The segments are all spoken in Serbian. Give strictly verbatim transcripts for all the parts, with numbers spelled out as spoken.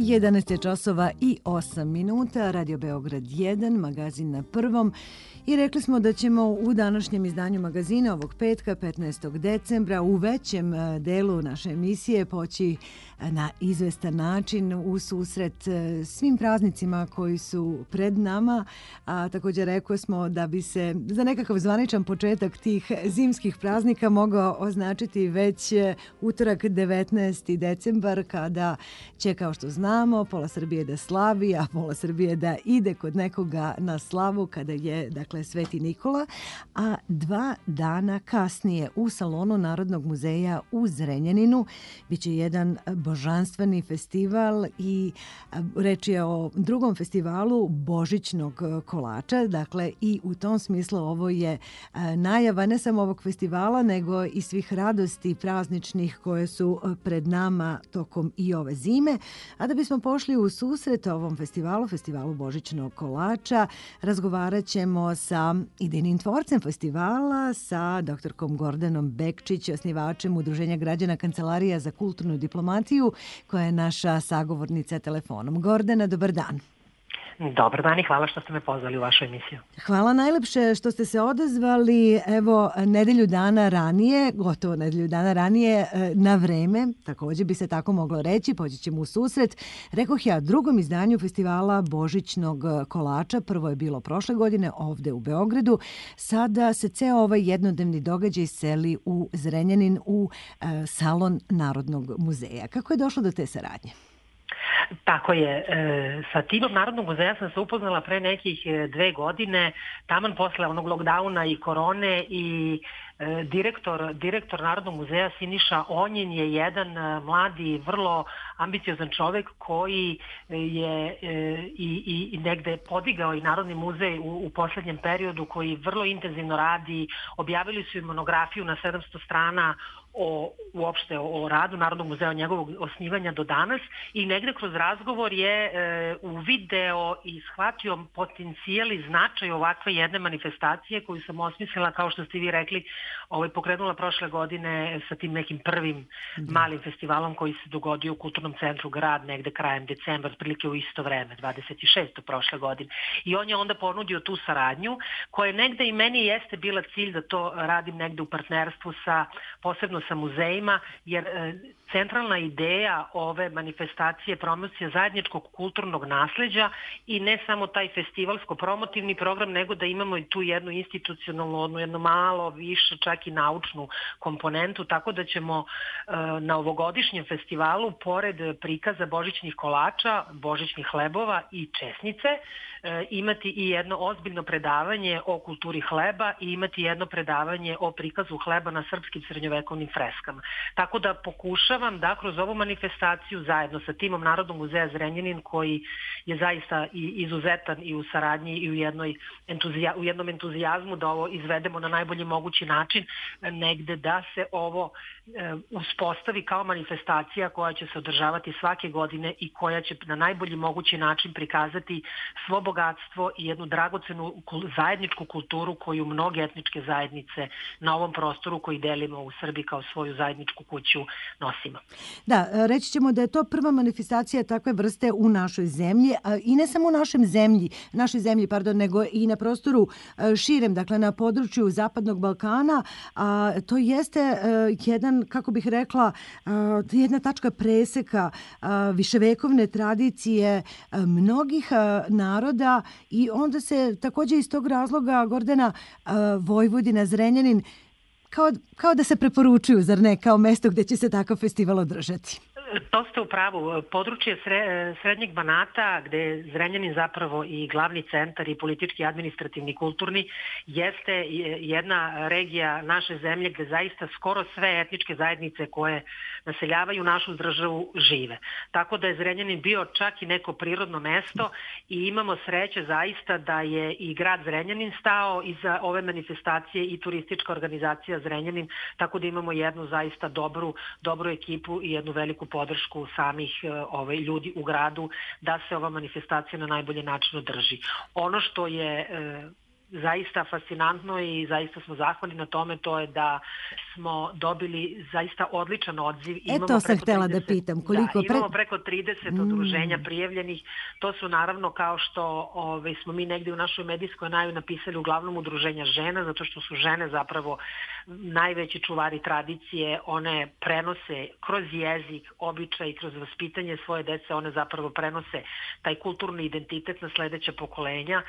jedanaest je časova i osam minuta, Radio Beograd jedan, magazin na prvom. I rekli smo da ćemo u današnjem izdanju magazina ovog petka, petnaestog decembra, u većem delu naše emisije poći na izvestan način u susret svim praznicima koji su pred nama. A također rekli smo da bi se za nekakav zvaničan početak tih zimskih praznika mogao označiti već utorak devetnaesti decembar, kada će, kao što znamo, pola Srbije da slavi, a pola Srbije da ide kod nekoga na slavu, kada je, dakle, Sveti Nikola, a dva dana kasnije u salonu Narodnog muzeja u Zrenjaninu biće jedan božanstveni festival i reč je o drugom festivalu božićnog kolača. Dakle, i u tom smislu ovo je najava ne samo ovog festivala, nego i svih radosti prazničnih koje su pred nama tokom i ove zime. A da bismo pošli u susret ovom festivalu, festivalu božićnog kolača, razgovarat ćemo sa idejnim tvorcem festivala, sa doktorkom Gordanom Bekčić, osnivačem Udruženja građana Kancelarija za kulturnu diplomatiju, koja je naša sagovornica telefonom. Gordana, dobar dan. Dobar dan i hvala što ste me pozvali u vašu emisiju. Hvala najlepše što ste se odazvali, evo, nedelju dana ranije, gotovo nedelju dana ranije, na vreme, također bi se tako moglo reći, poći ćemo u susret. Rekoh ja, drugom izdanju festivala božićnog kolača, prvo je bilo prošle godine ovde u Beogradu, sada se ceo ovaj jednodnevni događaj seli u Zrenjanin, u salon Narodnog muzeja. Kako je došlo do te saradnje? Tako je. Sa timom Narodnog muzeja sam se upoznala pre nekih dve godine, taman posle onog lockdowna i korone, i direktor, direktor Narodnog muzeja Siniša Onjin je jedan mladi, vrlo ambiciozan čovek koji je i, i negde podigao i Narodni muzej u, u poslednjem periodu, koji vrlo intenzivno radi. Objavili su i monografiju na sedamsto strana o, uopšte o radu Narodnog muzeja, od njegovog osnivanja do danas, i negde kroz razgovor je e, uvideo i shvatio potencijal i značaj ovakve jedne manifestacije koju sam osmislila, kao što ste vi rekli, ovaj, pokrenula prošle godine sa tim nekim prvim malim festivalom koji se dogodio u Kulturnom centru Grad negde krajem decembra, otprilike u isto vreme, dvadeset šestog prošle godine. I on je onda ponudio tu saradnju, koja negde i meni jeste bila cilj da to radim negde u partnerstvu sa, posebno sa muzejima, jer e, centralna ideja ove manifestacije je promocija zajedničkog kulturnog nasleđa i ne samo taj festivalsko-promotivni program, nego da imamo i tu jednu institucionalnu, odnu, jednu malo više, čak i naučnu komponentu, tako da ćemo e, na ovogodišnjem festivalu, pored prikaza božićnih kolača, božićnih hlebova i česnice, e, imati i jedno ozbiljno predavanje o kulturi hleba i imati jedno predavanje o prikazu hleba na srpskim srednjovekovnim freskama. Tako da pokušavam da kroz ovu manifestaciju zajedno sa timom Narodnog muzeja Zrenjanin, koji je zaista i izuzetan i u saradnji i u, jednoj entuzija, u jednom entuzijazmu da ovo izvedemo na najbolji mogući način, negde da se ovo e, uspostavi kao manifestacija koja će se održavati svake godine i koja će na najbolji mogući način prikazati svo bogatstvo i jednu dragocenu zajedničku kulturu koju mnoge etničke zajednice na ovom prostoru koji delimo u Srbiji kao svoju zajedničku kuću nosimo. Da, reći ćemo da je to prva manifestacija takve vrste u našoj zemlji, i ne samo u našem zemlji, našoj zemlji, pardon, nego i na prostoru širem, dakle na području Zapadnog Balkana. A, to jeste uh, jedan, kako bih rekla, uh, jedna tačka preseka uh, viševekovne tradicije uh, mnogih uh, naroda, i onda se također iz tog razloga, Gordana, uh, Vojvodina, Zrenjanin, kao, kao da se preporučuju, zar ne, kao mesto gdje će se takav festival održati. To ste u pravu. Područje Srednjeg Banata, gde je Zrenjanin zapravo i glavni centar i politički, administrativni, kulturni, jeste jedna regija naše zemlje gde zaista skoro sve etničke zajednice koje naseljavaju našu državu žive. Tako da je Zrenjanin bio čak i neko prirodno mesto i imamo sreće zaista da je i grad Zrenjanin stao iza ove manifestacije i turistička organizacija Zrenjanin, tako da imamo jednu zaista dobru, dobru ekipu i jednu veliku podršku samih ovaj, ljudi u gradu da se ova manifestacija na najbolji način održi. Ono što je zaista fascinantno i zaista smo zahvalni na tome, to je da smo dobili zaista odličan odziv. E to sam htjela da pitam. Koliko da, imamo preko trideset mm. udruženja prijavljenih. To su naravno, kao što ove, smo mi negdje u našoj medijskoj najavi napisali, uglavnom udruženja žena, zato što su žene zapravo najveći čuvari tradicije. One prenose kroz jezik, običaj, kroz vaspitanje svoje dece, one zapravo prenose taj kulturni identitet na sljedeća pokolenja.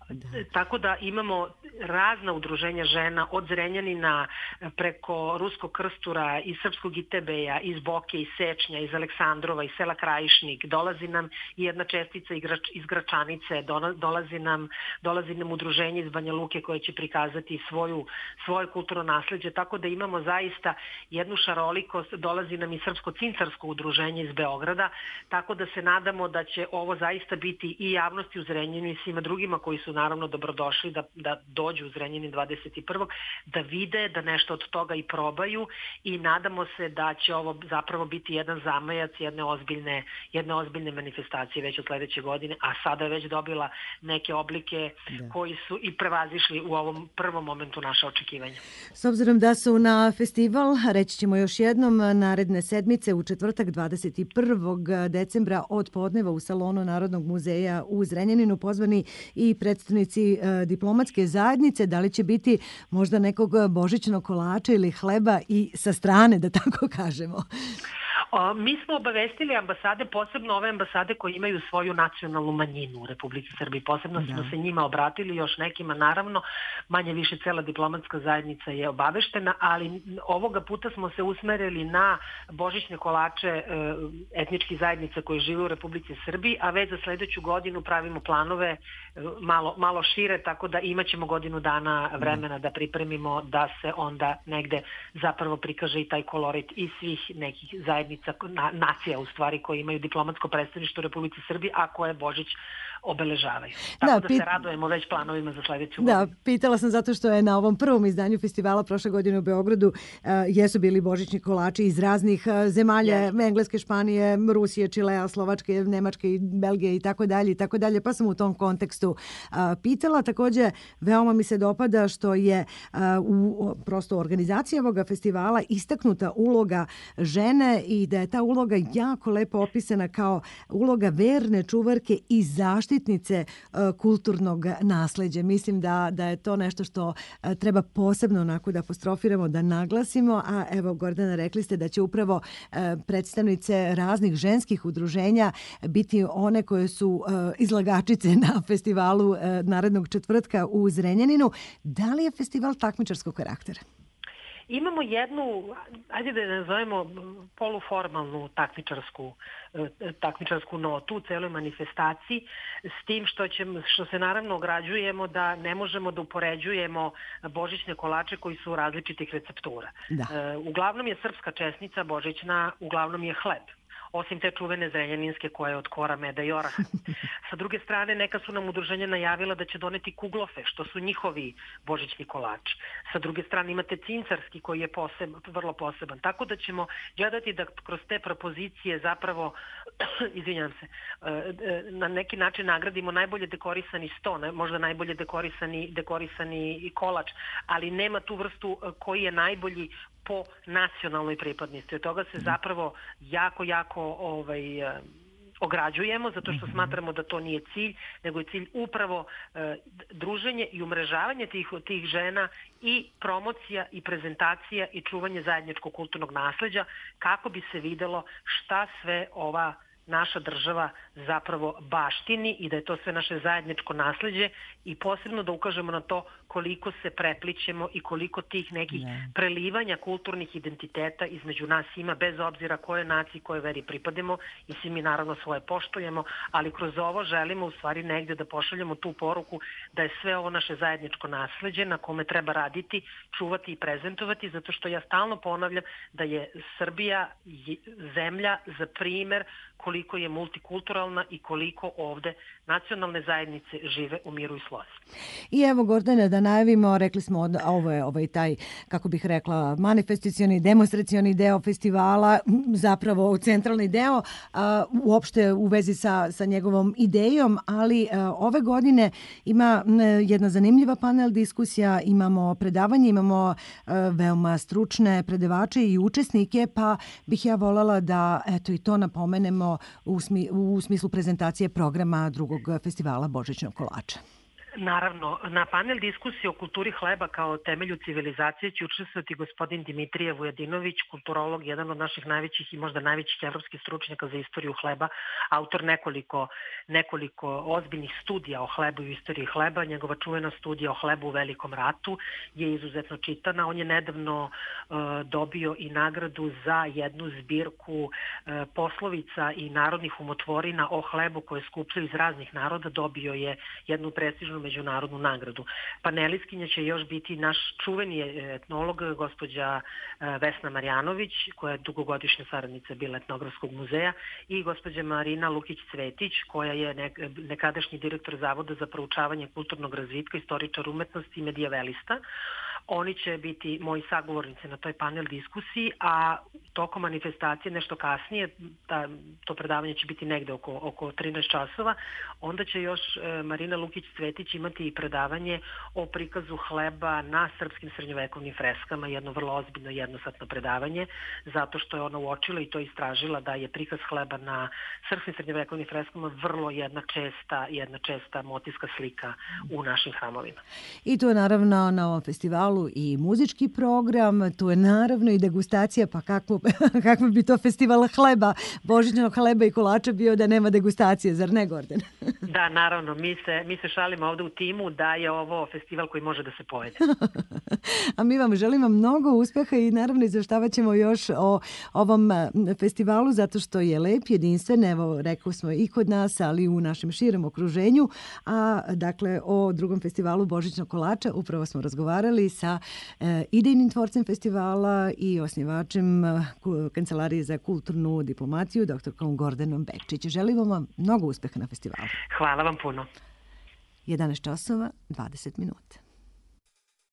Da. Tako da imamo razna udruženja žena, od Zrenjanina preko Ruskog Krstura, iz Srpskog Itebeja, iz Boke, iz Sečnja, iz Aleksandrova, iz sela Krajišnik. Dolazi nam i jedna čestica iz Gračanice, dolazi nam, dolazi nam udruženje iz Banja Luke koje će prikazati svoju, svoje kulturno nasleđe, tako da imamo zaista jednu šarolikost. Dolazi nam i Srpsko-cincarsko udruženje iz Beograda, tako da se nadamo da će ovo zaista biti i javnosti u Zrenjaninu i svima drugima koji su naravno dobrodošli da, da dođu u Zrenjanin dvadeset prvog da vide, da nešto od toga i probaju, i nadamo se da će ovo zapravo biti jedan zamajac jedne ozbiljne, jedne ozbiljne manifestacije već od sljedeće godine, a sada je već dobila neke oblike da. koji su i prevazišli u ovom prvom momentu naše očekivanja. S obzirom da su na festival, reći ćemo još jednom, naredne sedmice u četvrtak dvadeset prvog decembra od podneva u salonu Narodnog muzeja u Zrenjaninu pozvani i predstavnici e, diplomatske zajednice, da li će biti možda nekog božićnog kolača ili hleba i sa strane, da tako kažemo? O, mi smo obavestili ambasade, posebno ove ambasade koje imaju svoju nacionalnu manjinu u Republici Srbiji. Posebno da. smo se njima obratili, još nekima naravno, manje više cela diplomatska zajednica je obaveštena, ali ovoga puta smo se usmerili na božićne kolače e, etničkih zajednica koje žive u Republici Srbiji, a već za sljedeću godinu pravimo planove e, malo, malo šire, tako da imaćemo godinu dana vremena da pripremimo da se onda negde zapravo prikaže i taj kolorit iz svih nekih zajednica, nacija u stvari koje imaju diplomatsko predstavništvo u Republici Srbiji, a koje Božić obeležavaju. Tako da, da pit... se radujemo već planovima za sljedeću da, godinu. Pitala sam zato što je na ovom prvom izdanju festivala prošle godine u Beogradu uh, jesu bili božićni kolači iz raznih uh, zemalja, yes. Engleske, Španije, Rusije, Čilea, Slovačke, Nemačke, Belgije i tako dalje i tako dalje, pa sam u tom kontekstu uh, pitala. Također, veoma mi se dopada što je uh, u prosto organizaciji ovoga festivala istaknuta uloga žene i da je ta uloga jako lepo opisana kao uloga verne čuvarke i zaštitnice uh, kulturnog nasleđa. Mislim da, da je to nešto što uh, treba posebno onako da apostrofiramo, da naglasimo, a evo Gordana, rekli ste da će upravo uh, predstavnice raznih ženskih udruženja biti one koje su uh, izlagačice na festivalu uh, narednog četvrtka u Zrenjaninu. Da li je festival takmičarskog karaktera? Imamo jednu, ajde da je nazovemo poluformalnu takmičarsku, takmičarsku notu u celoj manifestaciji, s tim što, će, što se naravno ograđujemo da ne možemo da upoređujemo božićne kolače koji su različitih receptura. Da. Uglavnom je srpska česnica božićna, uglavnom je hleb. Osim te čuvene zrenjaninske koje je od kora, meda i oraha. Sa druge strane, neka su nam udruženja najavila da će doneti kuglofe, što su njihovi božićni kolači. Sa druge strane imate cincarski koji je poseb, vrlo poseban. Tako da ćemo gledati da kroz te propozicije zapravo, izvinjam se, na neki način nagradimo najbolje dekorisani sto, možda najbolje dekorisani, dekorisani kolač, ali nema tu vrstu koji je najbolji po nacionalnoj pripadnosti. Od toga se zapravo jako, jako ovaj, ograđujemo, zato što smatramo da to nije cilj, nego je cilj upravo e, druženje i umrežavanje tih, tih žena i promocija i prezentacija i čuvanje zajedničkog kulturnog nasleđa, kako bi se videlo šta sve ova naša država zapravo baštini i da je to sve naše zajedničko nasleđe, i posebno da ukažemo na to koliko se preplićemo i koliko tih nekih ne. prelivanja kulturnih identiteta između nas ima, bez obzira koje naciji, koje veri pripademo, i svi mi naravno svoje poštujemo, ali kroz ovo želimo u stvari negdje da pošaljemo tu poruku da je sve ovo naše zajedničko nasleđe na kome treba raditi, čuvati i prezentovati, zato što ja stalno ponavljam da je Srbija zemlja za primer koliko je multikulturalna i koliko ovde nacionalne zajednice žive u miru i slozi. I evo, Gordana, da najavimo, rekli smo, ovo je ovaj taj, kako bih rekla, manifestacioni, demonstracioni deo festivala, zapravo centralni deo, a, uopšte u vezi sa, sa njegovom idejom, ali a, ove godine ima m, jedna zanimljiva panel diskusija, imamo predavanje, imamo a, veoma stručne predavače i učesnike, pa bih ja voljela da eto i to napomenemo u, smi, u smislu prezentacije programa drugog festivala Božićnog kolača. Naravno, na panel diskusije o kulturi hleba kao temelju civilizacije će učestvovati gospodin Dimitrije Vujadinović, kulturolog, jedan od naših najvećih i možda najvećih evropskih stručnjaka za istoriju hleba, autor nekoliko, nekoliko ozbiljnih studija o hlebu i istoriji hleba. Njegova čuvena studija o hlebu u Velikom ratu je izuzetno čitana. On je nedavno uh, dobio i nagradu za jednu zbirku uh, poslovica i narodnih umotvorina o hlebu koje skupljaju iz raznih naroda. Dobio je jednu prestižnu međunarodnu nagradu. Panelistkinja će još biti naš čuveni etnolog, gospođa Vesna Marjanović, koja je dugogodišnja saradnica bila Etnografskog muzeja, i gospođa Marina Lukić-Cvetić, koja je nekadašnji direktor Zavoda za proučavanje kulturnog razvitka, istoričar umetnosti i medijavelista. Oni će biti moji sagovornici na toj panel diskusiji, a tokom manifestacije nešto kasnije, ta, to predavanje će biti negde oko, oko trinaest časova, onda će još e, Marina Lukić-Cvetić imati i predavanje o prikazu hleba na srpskim srednjovekovnim freskama, jedno vrlo ozbiljno jednosatno predavanje, zato što je ona uočila i to istražila da je prikaz hleba na srpskim srednjovekovnim freskama vrlo jedna česta, jedna česta motivska slika u našim hramovima. I to je naravno na ovom festivalu i muzički program, tu je naravno i degustacija, pa kako, kako bi to festival hleba, božićnog hleba i kolača bio da nema degustacije, zar ne, Gordana? Da, naravno, mi se, mi se šalimo ovde u timu da je ovo festival koji može da se pojede. A mi vam želimo mnogo uspeha i naravno izveštavat ćemo još o ovom festivalu zato što je lep, jedinstven, evo rekli smo i kod nas, ali i u našem širem okruženju, a dakle o drugom festivalu Božićnog kolača upravo smo razgovarali sa e, idejnim tvorcem festivala i osnivačem e, Kancelarije za kulturnu diplomaciju, doktorkom Gordanom Bekčić. Želimo vam mnogo uspeha na festivalu. Hvala vam puno. jedanaest časova, dvadeset minuta.